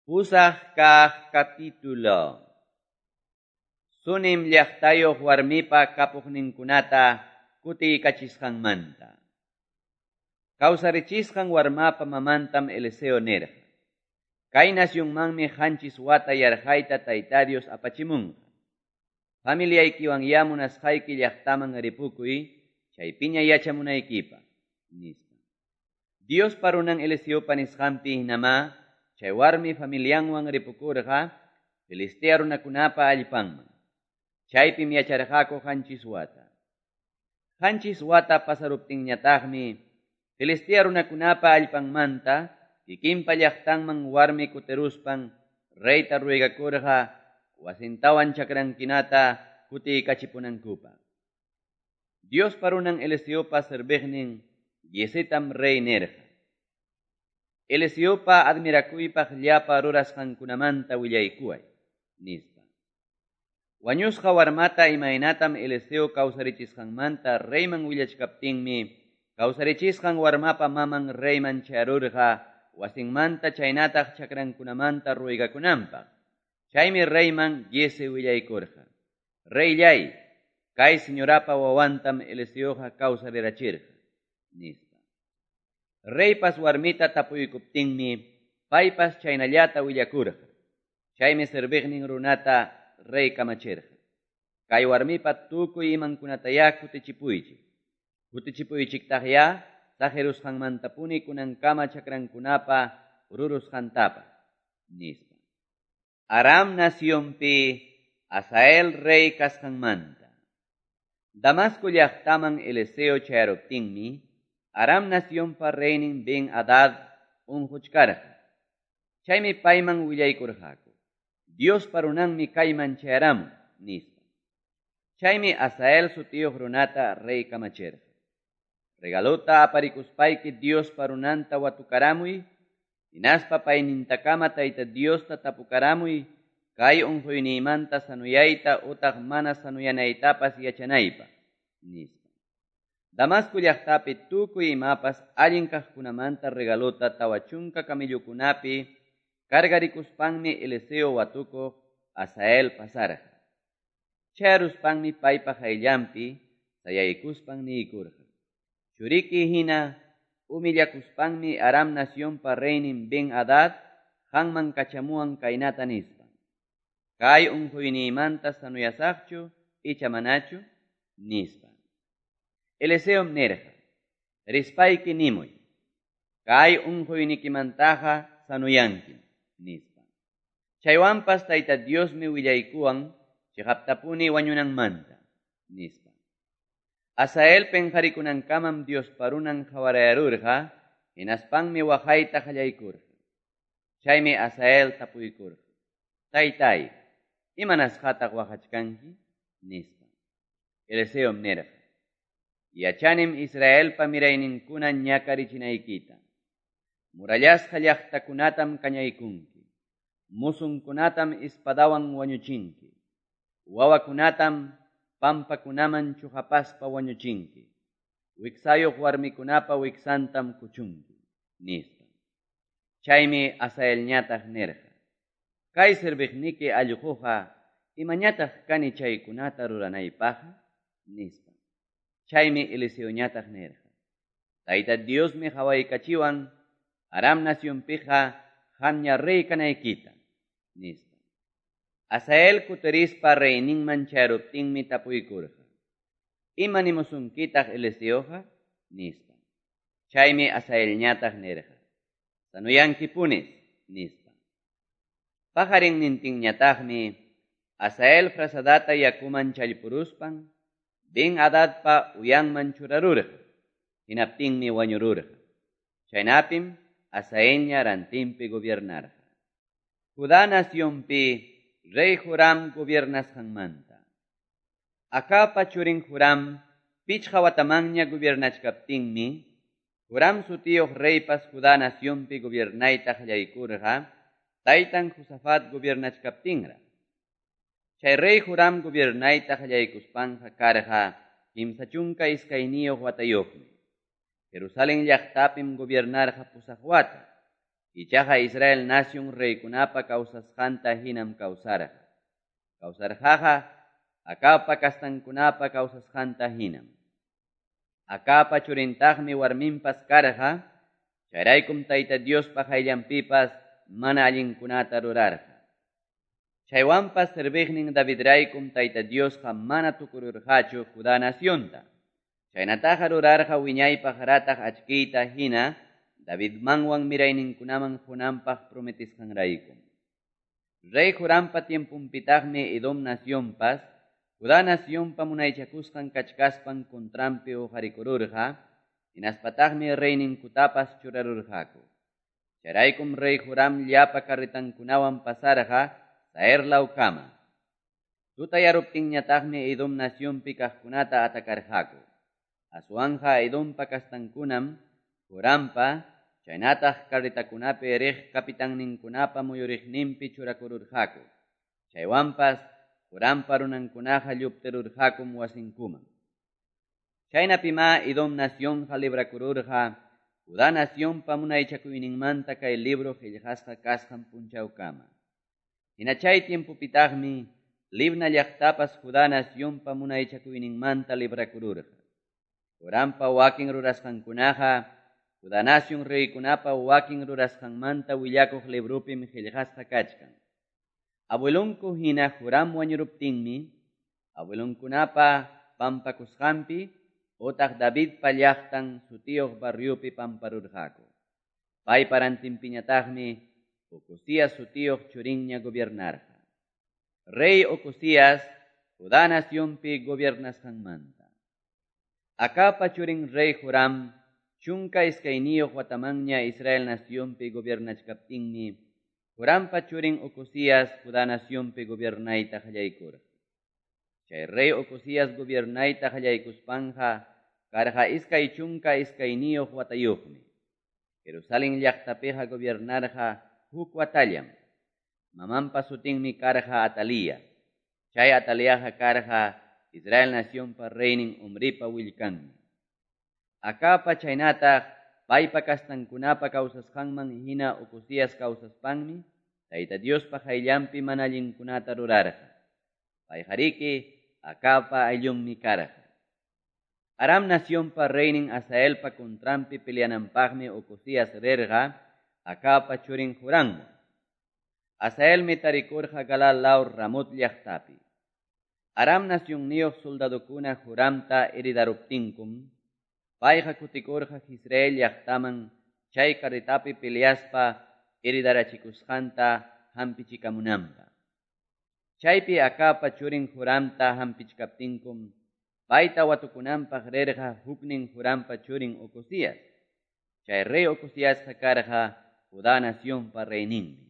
Pusaq kaq capítulo. Sunem llaqtayuq warmipa kapuqninkunata kutiykachisqanmanta. Kawsarichisqan warmapa mamantam Eliseo nirqa: Kay nacionmanmi 7 wata yarqayta Tayta Dios apachimunqa. Familiaykiwanyá munasqayki llaqtaman ripukuy, chaypiña yachamunaykipaq, nispa. Diospa runan Eliseopa nisqanpi hinamá chay warmi familianwan ripukurqa Filistea runakunapa allpanman. Chaypim yacharqaku 7 wata. 7 wata pasaruptinñataqmi Filistea runakunapa allpanmanta kikinpa llaqtanman warmi kutiruspan reyta ruegakurqa wasintawan chakrankunata kutiykachipunankupaq. Diospa runan Eliseopa serviqnin Giezitam rey nirqa: Eliseopa admirakuypaq llapa rurasqankunamanta willaykuway, nispa. Wañusqa warmata imaynatam Eliseo kawsarichisqanmanta reyman willachkaptinmi kawsarichisqan warmapa maman reyman chayarurqa wasinmanta chaynataq chakrankunamanta ruegakunanpaq. Chaymi reyman Giezi willaykurqa: Reyllay, kay señorapa wawantam Eliseoqa kawsarirachirqa, nispa. Reypas warmita tapuykuptinmi paypas chaynallata willakurqa. Chaymi serviqnin runata rey kamachirqa: Kay warmipa tukuy imankunatayá kutichipuychik. Kutichipuychiktaqyá saqirusqanmantapuni kunankama chakrankunapa rurusqantapas, nispa. Aram nacionpi Hazael rey kasqanmanta. Damasco llaqtaman Eliseo chayaruptinmi Aram nacionpa reynin Ben-Hadad unquchkarqa. Chaymi payman willaykurqaku: Diospa runanmi kayman chayaramun, nispa. Chaymi Hazael sutiyuq runata rey kamachirqa: Regalota aparikuspayki Diospa runanta watukaramuy, hinaspa paynintakama Tayta Diosta tapukaramuy kay unquyniymanta sanuyayta utaq mana sanuyanaytapas yachanaypaq, nispa. Damasco llaqtapi tukuy imapas allin kaqkunamanta regalota 40 camellokunapi cargarikuspanmi Eliseo watukuq Hazael pasarqa. Chayaruspanmi paypa qayllanpi sayaykuspan niykurqa: Churiki hina humillakuspanmi Aram nacionpa reynin Ben-Hadad qanman kachamuwan kaynata nispan: Kay unquyniymanta sanuyasaqchu icha manachu, nispa. Eliseom nirqa: Rispayki nimuy, kay unquynikimantaqa sanuyankim, nispa. Chaywanpas Tayta Diosmi willaykuwan chiqaptapuni wañunanmanta, nispa. Hazael penqarikunankamam Diospa runan qawarayarurqa, hinaspanmi waqayta qallaykurqa. Chaymi Hazael tapuykurqa: Taytay, imanasqataq waqachkanki, nispa. Eliseom nirqa: Yachanim Israelpa mirayninkuna ñakarichinaykita. Murallasqa llaqtakunatam kañaykunki. Musunkunatam espadawan wañuchinki. Wawakunatam pampakunaman chuqapaspa wañuchinki. Wiksayuq warmikunapa wiksantam kuchunki, nispa. Chaymi Hazaelñataq nirqa: Kay serviqniki allquqa imañataq kani chaykunata ruranaypaqqa, nispa. Chaymi Eliseoñataq nirqa: Tayta Diosmi qawaykachiwan Aram nacionpiqa qamña rey kanaykita, nispa. Hazael kutirispa reyninman chayaruptinmi tapuykurqa: Ima nimusunkitaq Eliseoqa, nispa. Chaymi Hazaelñataq nirqa: Sanuyankipunis, nispa. Paqarinnintinñataqmi Hazael frazadata yakuman challpuruspan Ben-Hadadpa uyanman churarurqa. Hinaptinmi wañururqa. Chaynapim Hazaelña rantinpi gobiernarqa. Judá nacionpi rey Joram gobiernasqanmanta. Acabpa churin Joram 5 watamanña gobiernachkaptinmi Joram sutiyuq reypas Judá nacionpi gobiernayta qallaykurqa taytan Josafat gobiernachkaptinraq. Chay rey Joram gobiernayta qallaykuspanqa karqa 32 watayuqmi. Jerusalén llaqtapim gobiernarqa 8 wata. Ichaqa Israel nacion reykunapa kawsasqanta hinam kawsarqa. Kawsarqaqa Acabpa kastankunapa kawsasqanta hinam. Acabpa churintaqmi warminpas karqa, chayraykum Tayta Diospa qayllanpipas mana allinkunata rurarqa. Chaywanpas serviqnin Davidraykum Tayta Diosqa mana tukururqachu Judá nacionta. Chaynataqa rurarqa wiñaypaq rataq achkiyta hina Davidmanwan mirayninkunaman qunanpaq prometisqanraykum. Rey Jorampa tiemponpitaqmi Edom nacionpas Judá nacionpa munaychakusqan kachkaspan contranpi uqarikururqa, hinaspataqmi reyninkutapas churarurqaku. Chayraykum rey Joram llapa carretankunawan pasarqa Zair lawkama. Tutayaruptinñataqmi Edom nacionpi kaqkunata atakarqaku. Aswanja Edompa kastankunam Jorampa chaynataq carretakunapi riq kapitanninkunapa muyuriqninpi churakururqaku. Chaywanpas Jorampa runankunaqa lluptirurqakum wasinkuman. Chaynapima Edom nacionqa librakururqa Judá nacionpa munaychakuyninmanta kay libro qillqasqa kasqan punchawkama. Hina chay tiempopitaqmi Libna llaqtapas Judá nacionpa munaychakuyninmanta librakururqa. Jorampa wakin rurasqankunaqa Judá nacion reykunapa wakin rurasqanmanta willakuq librupim qillqasqa kachkan. Abuelonku hina Joram wañuruptinmi, abuelonkunapa pampakusqanpi otaq Davidpa llaqtan sutiyuq barriopi pamparurqaku. Paypa rantinpiñataqmi Ocosías sutiyuq churinña gobiernarqa. Rey Ocosías Judá nacionpi gobiernasqanmanta. Acabpa churin rey Joram 12 watamanña Israel nacionpi gobiernachkaptinmi Jorampa churin Ocosías Judá nacionpi gobiernayta qallaykurqa. Chay rey Ocosías gobiernayta qallaykuspanja karqa 22 watayuqmi. Jerusalén llaqtapiqa gobiernarqa huk watallam. Mamanpa sutinmi karqa Atalía. Chay Ataliaqa karqa Israel nacionpa reynin Omripa willkanmi. Acabpa chaynataq paypa kastankunapa kawsasqanman hina Ocosías kawsaspanmi Tayta Diospa qayllanpi mana allinkunata rurarqa. Payqariki Acabpa ayllunmi karqa. Aram nacionpa reynin Hazaelpa contranpi peleananpaqmi Ocosías rirqa Acabpa churin Joramwan. Hazaelmi tarikurqa Galaad law Ramot llaqtapi. Aram nacionniyuq soldadokuna Joramta heridaruptinkum, payqa kutikurqa Jezreel llaqtaman chay carretapi peleaspa heridarachikusqanta hampichikamunanpaq. Chaypi Acabpa churin Joramta hampichkaptinkum, payta watukunanpaq rirqa huknin Jorampa churin Ocosías. Chay rey Ocosíasqa karqa Judá nacionpa reyninmi.